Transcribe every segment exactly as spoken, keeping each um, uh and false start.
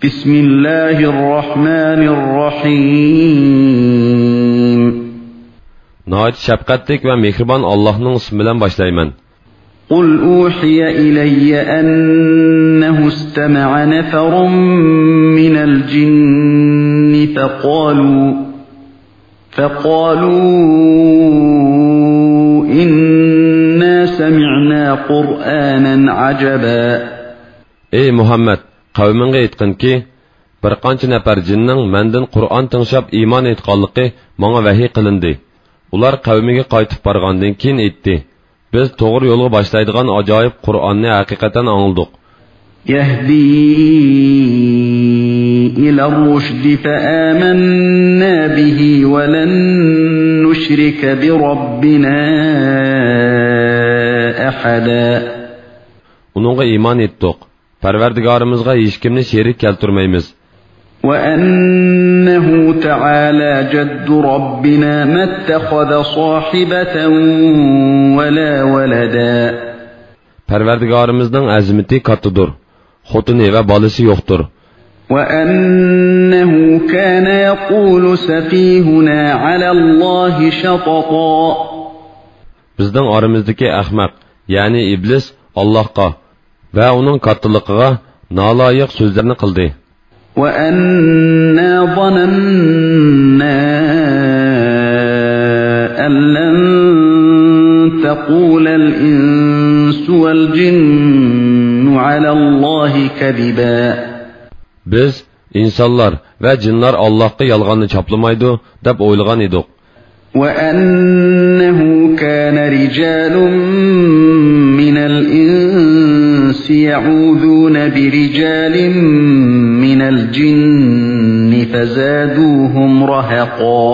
بسم الله الرحمن الرحيم. ناھايىتى شەپقەتلىك ۋە مېھرىبان ئاللاھنىڭ ئىسمى بىلەن باشلايمەن. قل أوحي إلي أنه استمع نفر من الجن فقالوا، فقالوا إنا سمعنا قرآنا عجبا. ئەي مۇھەممەد، قەۋمىڭگە ئېيتقىنكى، بىر قانچە نەپەر جىننىڭ مەندىن قۇرئان تىڭشاپ ئىمان ئېيتقانلىقى ماڭا ۋەھىي قىلىندى. ئۇلار قەۋمىگە قايتىپ بارغاندىن كېيىن ئېيتتى، بىز توغرا يولغا باشلايدىغان ئاجايىپ قۇرئاننى ھەقىقەتەن ئاڭلىدۇق. يهدي إلى الرشد فآمنا به ولن نشرك بربنا أحدا. ئۇنىڭغا ئىمان ئېيتتۇق. پەرۋەردىگارىمىزغا ھېچكىمنى شېرىك كەلتۈرمەيمىز. وأنه تعالى جد ربنا ما اتخذ صاحبة ولا ولدا. پەرۋەردىگارىمىزنىڭ ئەزىمىتى كاتتىدۇر. خوتۇنى ۋە بالىسى يوقتۇر. وأنه كان يقول سفيهنا على الله شططا. بىزنىڭ ئارىمىزدىكى ئەخمەق، يەنى ئىبلىس، ئاللاھقا ۋە ئۇنىڭ كاتتىلىقىغا نالايىق سۆزلەرنى قىلدى. وأنا ظننا أن لن تقول الإنس والجن على الله كذبا. بىز ئىنسانلار ۋە جىنلار ئاللاھقا يالغاننى چاپلىمايدۇ دەپ ئويلىغان ئىدۇق. وأنه كان رجال من الإنس يعوذون برجال من الجن فزادوهم رهقا.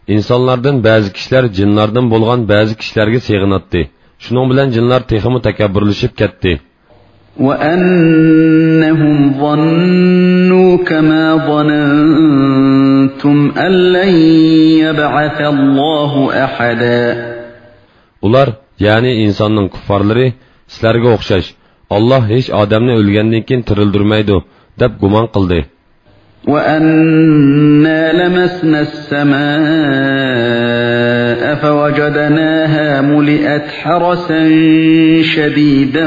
ئىنسانلاردىن بەزى كىشىلەر جىنلاردىن بولغان بەزى كىشىلەرگە سېغىناتتى. شۇنىڭ بىلەن جىنلار تېخىمۇ تەكەببۇرلىشىپ كەتتى. وأنهم ظنوا كما ظننتم أن لن يبعث الله أحدا. ئۇلار، يەنى ئىنساننىڭ كۇففارلىرى، سىلەرگە ئوخشاش، ئاللاھ ھېچ ئادەمنى ئۆلگەندىن كېيىن تىرىلدۈرمەيدۇ، دەپ گۇمان قىلدى. وأنا لمسنا السماء فوجدناها ملئت حرسا شديدا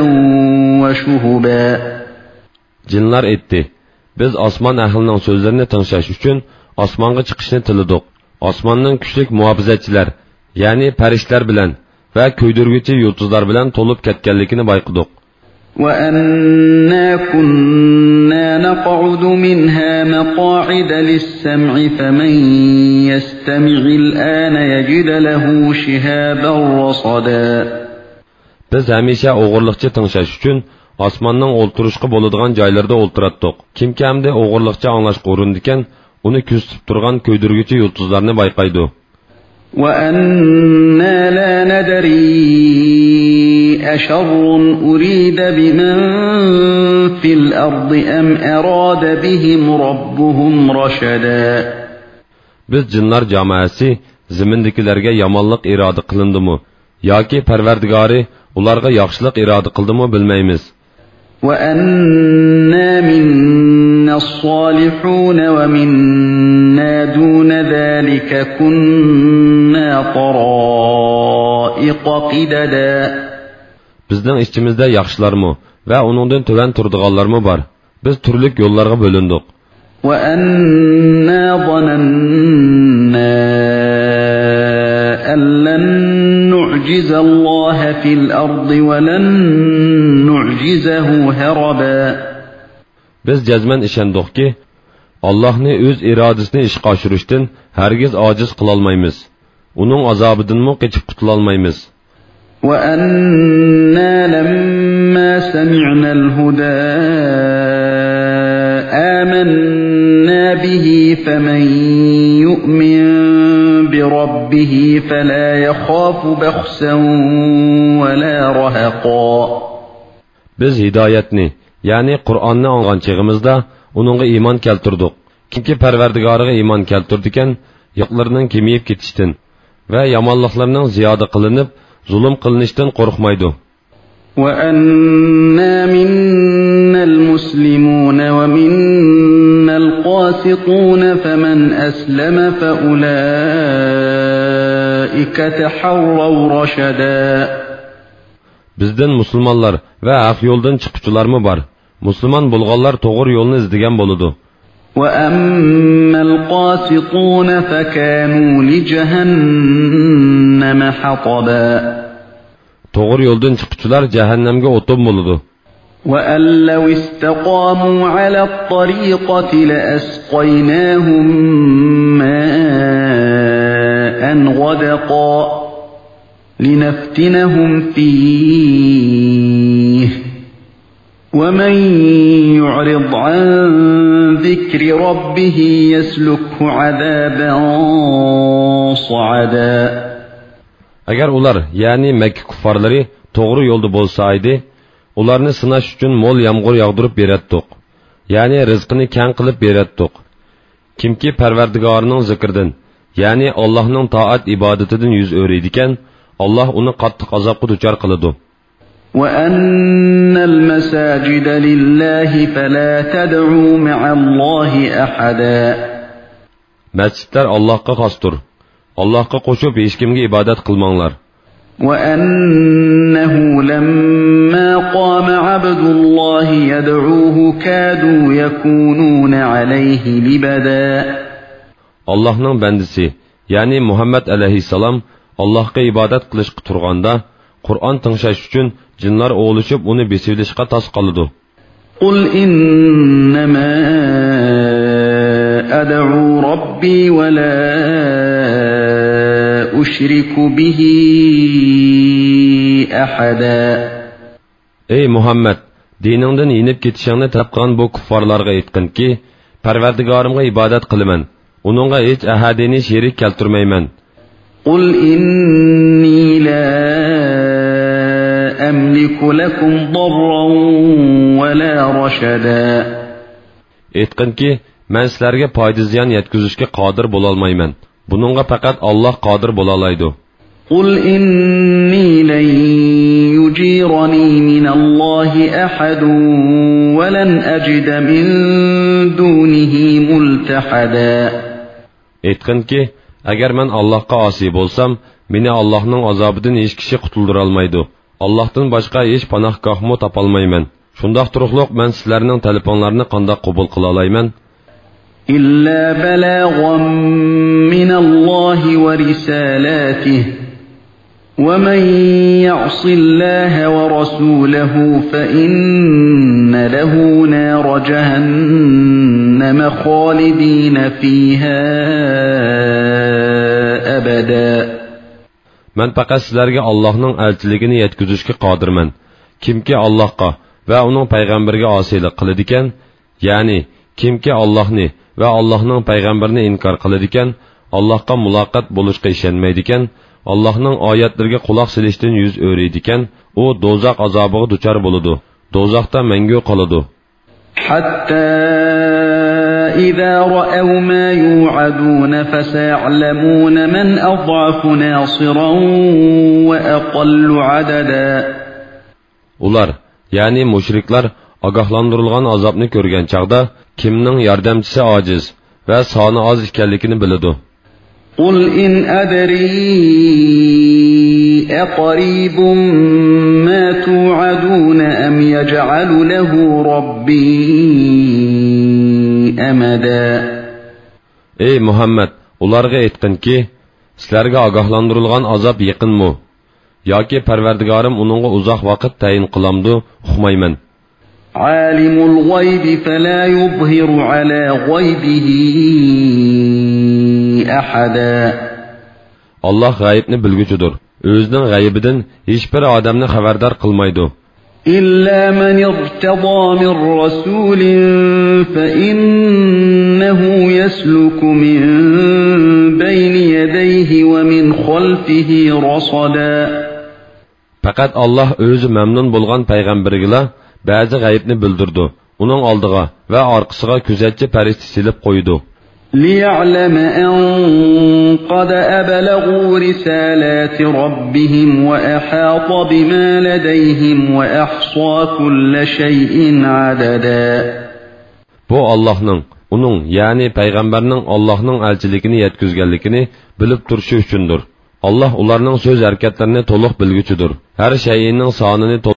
وشهبا. جىنلار ئېيتتى، بىز ئاسمان ئەھلىنىڭ سۆزلىرىنى تىڭشاش ئۈچۈن ئاسمانغا چىقىشنى تىلىدۇق. ئاسماننىڭ كۈچلۈك مۇھاپىزەتچىلەر، يەنى پەرىشتىلەر بىلەن ۋە كۆيدۈرگۈچى يۇلتۇزلار بىلەن تولۇپ كەتكەنلىكىنى بايقىدۇق. وأنا كنا نقعد منها مقاعد للسمع فمن يستمع الآن يجد له شهابا رصدا. بىز ھەمىشە ئوغرىلىقچە تىڭشاش ئۈچۈن ئاسماننىڭ ئولتۇرۇشقا بولىدىغان جايلىرىدا ئولتۇراتتۇق. كىمكى ئەمدى ئوغرىلىقچە ئاڭلاشقا ئۇرۇنىدىكەن، ئۇنى كۆزىتىپ تۇرغان كۆيدۈرگۈچى يۇلتۇزلارنى بايقايدۇ. وأنا لا ندري أشر أريد بمن في الأرض أم أراد بهم ربهم رشدا. بىز جىنلار جامائەسى زېمىندىكىلەرگە يامانلىق ئىرادە قىلىندىمۇ ياكى پەرۋەردىگارى ئۇلارغا ياخشىلىق ئىرادە قىلدىمۇ بىلمەيمىز. وأنا منا الصالحون ومنا دون ذلك كنا طرائق قددا. بىزنىڭ ئىچىمىزدە ياخشىلارمۇ ۋە ئۇنىڭدىن تۆۋەن تۇرىدىغانلارمۇ بار. بىز تۈرلۈك يوللارغا بۆلۈندۇق. وأنا ظننا أن لن نعجز الله في الأرض ولن نعجزه هربا. بىز جەزمەن ئىشەندۇقكى، ئاللاھنى ئۆز ئىرادىسىنى ئىشقا ئاشۇرۇشتىن ھەرگىز ئاجىز قىلالمايمىز. ئۇنىڭ ئازابىدىنمۇ قېچىپ قۇتۇلالمايمىز. وأنا لما سمعنا الهدى آمنا به فمن يؤمن بربه فلا يخاف بخسا ولا رهقا. بىز ھىدايەتنى، يەنى قۇرئاننى ئاڭلىغان چېغىمىزدا ئۇنىڭغا ئىمان كەلتۈردۇق. كىمكى پەرۋەردىگارىغا ئىمان كەلتۈرىدىكەن، يىقلىرىنىڭ كېمىيىپ كېتىشتىن ۋە يامانلىقلىرىنىڭ زىيادە قىلىنىپ، زۇلۇم قىلىنىشتىن قورقمايدۇ. وأنا منا المسلمون ومنا فاسقون فمن أسلم فأولئك تحروا رشدا. بىزدىن مۇسۇلمانلار ۋە ھەق يولدىن چىققۇچىلارمۇ بار. مۇسۇلمان بولغانلار توغرا يولنى ئىزدىگەن بولىدۇ. وأما القاسطون فكانوا لجهنم حطبا. توغرا يولدىن چىققۇچىلار جەھەننەمگە ئوتۇن بولىدۇ. وأن لو استقاموا على الطريقة لأسقيناهم ماء غدقا لنفتنهم فيه ومن يعرض عن ذكر ربه يسلكه عذابا صعدا. ئەگەر ئۇلار، يەنى مەككە كۇففارلىرى توغرا يولدا بولسا ئىدى، ئۇلارنى سىناش ئۈچۈن مول يامغۇر ياغدۇرۇپ بېرەتتۇق. يەنى رىزقىنى كەڭ قىلىپ بېرەتتۇق. كىمكى پەرۋەردىگارىنىڭ زىكرىدىن، يەنى ئاللاھنىڭ تائەت ئىبادىتىدىن يۈز ئۆرۈيدىكەن، ئاللاھ ئۇنى قاتتىق ئازابقا دۇچار قىلىدۇ. وأن المساجد لله فلا تدعوا مع الله أحدا. مەسچىتلەر ئاللاھقا خاستۇر. ئاللاھقا قوشۇپ ھېچكىمگە ئىبادەت قىلماڭلار. وأنه لما قام عبد الله يدعوه كادوا يكونون عليه لبدا. ئاللاھنىڭ بەندىسى، يەنى مۇھەممەد ئەلەيھىسسالام ئاللاھقا ئىبادەت قىلىشقا تۇرغاندا، قۇرئان تىڭشاش ئۈچۈن جىنلار ئولىشىپ ئۇنى بېسىۋېلىشقا تاس قالىدۇ. قل إنما أدعو ربي ولا أشرك به أحدا. ئەي مۇھەممەد، دىنىڭدىن يېنىپ كېتىشىڭنى تەلەپ قىلغان بۇ كۇففارلارغا ئېيتقىنكى، پەرۋەردىگارىمغا ئىبادەت قىلىمەن، ئۇنىڭغا ھېچ ئەھەدىنى شېرىك كەلتۈرمەيمەن. قل إني لا أملك لكم ضرا ولا رشدا. ئېيتقىنكى، مەن سىلەرگە پايدا زىيان يەتكۈزۈشكە قادىر بولالمايمەن. بۇنىڭغا پەقەت ئاللاھ قادىر بولالايدۇ. قل إني لن يجيرني من الله أحد ولن أجد من دونه ملتحدا. ئېيتقىنكى، ئەگەر مەن ئاللاھقا ئاسىي بولسام، مېنى ئاللاھنىڭ ئازابىدىن ھېچ كىشى قۇتۇلدۇرالمايدۇ. ئاللاھتىن باشقا ھېچ پاناھگاھمۇ تاپالمايمەن. شۇنداق تۇرۇقلۇق مەن سىلەرنىڭ تەلىپىڭلارنى قانداق قوبۇل قىلالايمەن؟ إلا بلاغا من الله ورسالاته ومن يعص الله ورسوله فإن له نار جهنم خالدين فيها أبدا. مەن پەقەت سىلەرگە ئاللاھنىڭ ئەلچىلىكىنى يەتكۈزۈشكە قادىرمەن. كىمكى ئاللاھقا ۋە ئۇنىڭ پەيغەمبىرىگە ئاسىيلىق قىلىدىكەن، يەنى كىمكى ئاللاھنى ۋە ئاللاھنىڭ پەيغەمبىرىنى ئىنكار قىلىدىكەن، ئاللاھقا مۇلاقات بولۇشقا ئىشەنمەيدىكەن، ئاللاھنىڭ ئايەتلىرىگە قۇلاق سېلىشتىن يۈز ئۆرۈيدىكەن، ئۇ دوزاخ ئازابىغا دۇچار بولىدۇ، دوزاختا مەڭگۈ قالىدۇ. حتى إذا رأوا ما يوعدون فسيعلمون من أضعف ناصرا وأقل عددا. ئۇلار، يەنى مۇشرىكلار ئاگاھلاندۇرۇلغان ئازابنى كۆرگەن چاغدا، كىمنىڭ ياردەمچىسى ئاجىز ۋە سانى ئاز ئىكەنلىكىنى بىلىدۇ. قل إن أدري أقريب ما توعدون أم يجعل له ربي أمدا. ئەي مۇھەممەد، ئۇلارغا ئېيتقىنكى، سىلەرگە ئاگاھلاندۇرۇلغان ئازاب يېقىنمۇ؟ ياكى پەرۋەردىگارىم ئۇنىڭغا ئۇزاق ۋاقىت تەيىن قىلامدۇ؟ ئۇقمايمەن. عالم الغيب فلا يظهر على غيبه أحدا. ئاللاھ غەيىبنى بىلگۈچىدۇر. ئۆزىنىڭ غەيىبىدىن ھېچبىر ئادەمنى خەۋەردار قىلمايدۇ. إلا من ارتضى من رسول فإنه يسلك من بين يديه ومن خلفه رصدا. پەقەت ئاللاھ ئۆزى مەمنۇن بولغان پەيغەمبىرىگىلا بەزى غەيىبنى بىلدۈرىدۇ. ئۇنىڭ ئالدىغا ۋە ئارقىسىغا كۆزەتچى پەرىشتە سېلىپ قويىدۇ. ليعلم أن قد أبلغوا رسالات ربهم وأحاط بما لديهم وأحصى كل شيء عددا. بۇ ئاللاھنىڭ ئۇنىڭ، يەنى پەيغەمبەرنىڭ ئاللاھنىڭ ئەلچىلىكىنى يەتكۈزگەنلىكىنى بىلىپ تۇرۇشى ئۈچۈندۇر. ئاللاھ ئۇلارنىڭ سۆز ھەرىكەتلىرىنى تولۇق بىلگۈچىدۇر، ھەر شەيئىنىڭ سانىنى تولۇق